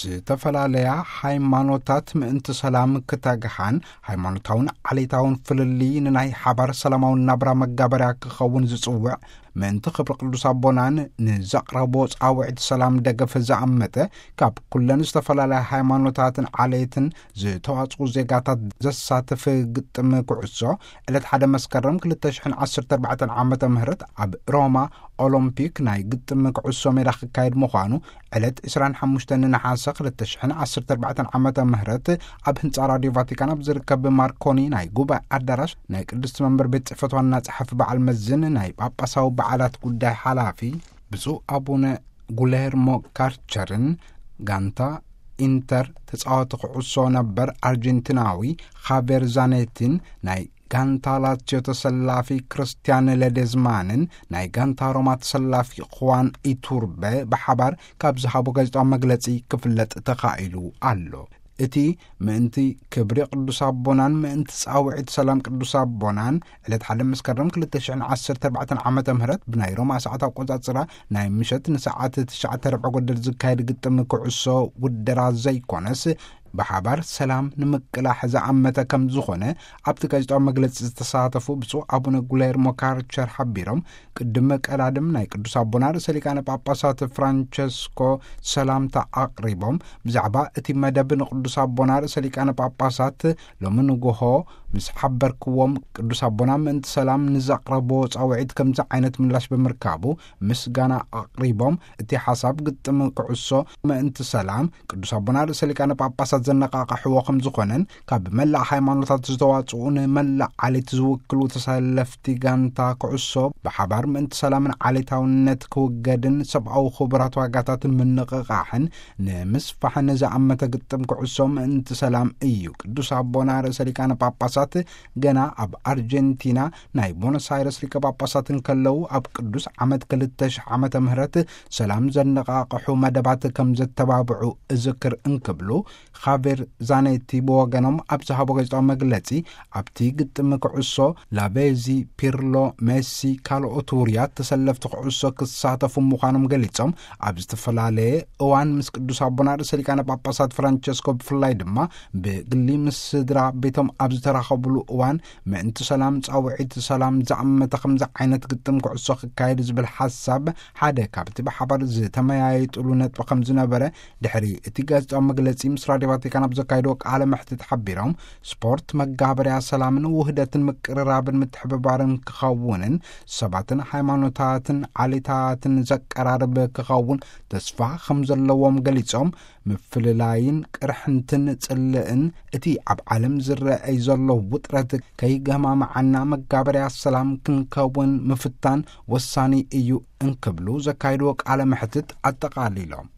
ዝተፈላለያ ሃይማኖታት ምእንቲ ሰላም ክተግሓን፣ ሃይማኖታውን ዓሌታውን ፍልልይ ንናይ ሓባር ሰላማዊ ናብራ መጋበርያ ክኸውን ዝጽውዕ፣ ምእንቲ ክብሪ ቅዱስ ኣቦናን ንዘቕረቦ ጻውዒት ሰላም ደገፍ ዝኣመተ፣ ካብ ኩለን ዝተፈላለያ ሃይማኖታትን ዓሌትን ዝተዋጽኡ ዜጋታት ዘሳትፍ ግጥም ኩዕሶ፣ ዕለት ሓደ መስከረም ክልተ ሽሕን ዓሰርተ ኣርባዕተን ዓመተ ምህረት ኣብ ሮማ ኦሎምፒክ ናይ ግጥም ኩዕሶ ሜዳ ክካየድ ምዃኑ፣ ዕለት ዕስራን ሓሙሽተን ነሓሰ ክልተ ሽሕን ዓሰርተ ኣርባዕተን ዓመተ ምህረት ኣብ ህንጻ ራድዮ ቫቲካን ኣብ ዝርከብ ማርኮኒ ናይ ጉባኤ ኣዳራሽ ናይ ቅድስቲ መንበር ቤት ጽሕፈት ዋና ጸሓፊ በዓል መዝን ናይ ጳጳሳዊ በዓላት ጉዳይ ሓላፊ ብፁዕ ኣቡነ ጉሌርሞ ካርቸርን ጋንታ ኢንተር ተጻዋቲ ኩዕሶ ነበር ኣርጀንቲናዊ ኻቬር ዛኔቲን ናይ ጋንታ ላትዮ ተሰላፊ ክርስቲያን ለዴዝማንን ናይ ጋንታ ሮማ ተሰላፊ ኹዋን ኢቱርበ ብሓባር ካብ ዝሃቦ ጋዜጣዊ መግለጺ ክፍለጥ ተኻኢሉ ኣሎ። እቲ ምእንቲ ክብሪ ቅዱስ ኣቦናን ምእንቲ ጻውዒት ሰላም ቅዱስ ኣቦናን ዕለት ሓደ መስከረም ክልተ ሽሕን ዓሰርተ ኣርባዕተን ዓመተ ምህረት ብናይ ሮማ ሰዓት ኣቆጻጽራ ናይ ምሸት ንሰዓት ትሽዓተ ርብዒ ጎደል ዝካየድ ግጥም ኩዕሶ ውደራ ዘይኮነስ፣ ብሓባር ሰላም ንምቅላሕ ዝኣመተ ከም ዝኾነ ኣብቲ ጋዜጣዊ መግለጺ ዝተሳተፉ ብፁዕ ኣቡነ ጉሌርሞ ካርቸር ሓቢሮም፣ ቅድሚ ቀዳድም ናይ ቅዱስ ኣቦና ርእሰ ሊቃነ ጳጳሳት ፍራንቸስኮ ሰላምታ ኣቕሪቦም፣ ብዛዕባ እቲ መደብ ንቅዱስ ኣቦና ርእሰ ሊቃነ ጳጳሳት ሎሚ ንግሆ ምስ ሓበርክዎም፣ ቅዱስ ኣቦና ምእንቲ ሰላም ንዘቕረብዎ ጻውዒት ከምዚ ዓይነት ምላሽ ብምርካቡ ምስጋና ኣቕሪቦም፣ እቲ ሓሳብ ግጥም ኩዕሶ ምእንቲ ሰላም ቅዱስ ኣቦና ርእሰ ሊቃነ ጳጳሳት ዘነቓቕሕዎ ከም ዝኾነን፣ ካብ መላእ ሃይማኖታት ዝተዋጽኡ ንመላእ ዓሌት ዝውክሉ ተሰለፍቲ ጋንታ ኩዕሶ ብሓባር ምእንቲ ሰላምን ዓሌታውነት ክውገድን ሰብኣዊ ክቡራት ዋጋታትን ምንቕቓሕን ንምስፋሕን ዝኣመተ ግጥም ኩዕሶ ምእንቲ ሰላም እዩ። ቅዱስ ኣቦና ርእሰ ሊቃነ ጳጳሳት ገና ኣብ ኣርጀንቲና ናይ ቦኖስ ኣይረስ ሊቀ ጳጳሳት እንከለዉ፣ ኣብ ቅዱስ ዓመት ክልተ ሽሕ ዓመተ ምህረት ሰላም ዘነቓቕሑ መደባት ከም ዘተባብዑ እዝክር እንክብሉ፣ ኻቬር ዛኔቲ ብወገኖም ኣብ ዝሃቦ ጋዜጣዊ መግለጺ፣ ኣብቲ ግጥም ኩዕሶ ላቬዚ፣ ፒርሎ፣ ሜሲ፣ ካልኦት ውሩያት ተሰለፍቲ ኩዕሶ ክሳተፉ ምዃኖም ገሊጾም፣ ኣብ ዝተፈላለየ እዋን ምስ ቅዱስ ኣቦና ርእሰ ሊቃነ ጳጳሳት ፍራንቸስኮ ብፍላይ ድማ ብግሊ ምስ ስድራ ቤቶም ኣብ ዝተራኸቡሉ እዋን፣ ምእንቲ ሰላም ጻውዒት ሰላም ዝኣመተ ከምዚ ዓይነት ግጥም ኩዕሶ ክካየድ ዝብል ሓሳብ ሓደ ካብቲ ብሓባር ዝተመያየጡሉ ነጥቢ ከም ዝነበረ ድሕሪ እቲ ጋዜጣዊ መግለጺ ምስ ራድዮ ቫቲካን ኣብ ዘካየድዎ ቃለ መሕትት ሓቢሮም፣ ስፖርት መጋበርያ ሰላምን ውህደትን ምቅርራብን ምትሕብባርን ክኸውንን ሰባትን ሃይማኖታትን ዓሌታትን ዘቀራርብ ክኸውን ተስፋ ከም ዘለዎም ገሊጾም፣ ምፍልላይን ቅርሕንትን ጽልእን እቲ ኣብ ዓለም ዝረኣይ ዘሎ ውጥረት ከይገማምዓና መጋበርያ ሰላም ክንከውን ምፍታን ወሳኒ እዩ እንክብሉ ዘካየድዎ ቃለ መሕትት ኣጠቓሊሎም።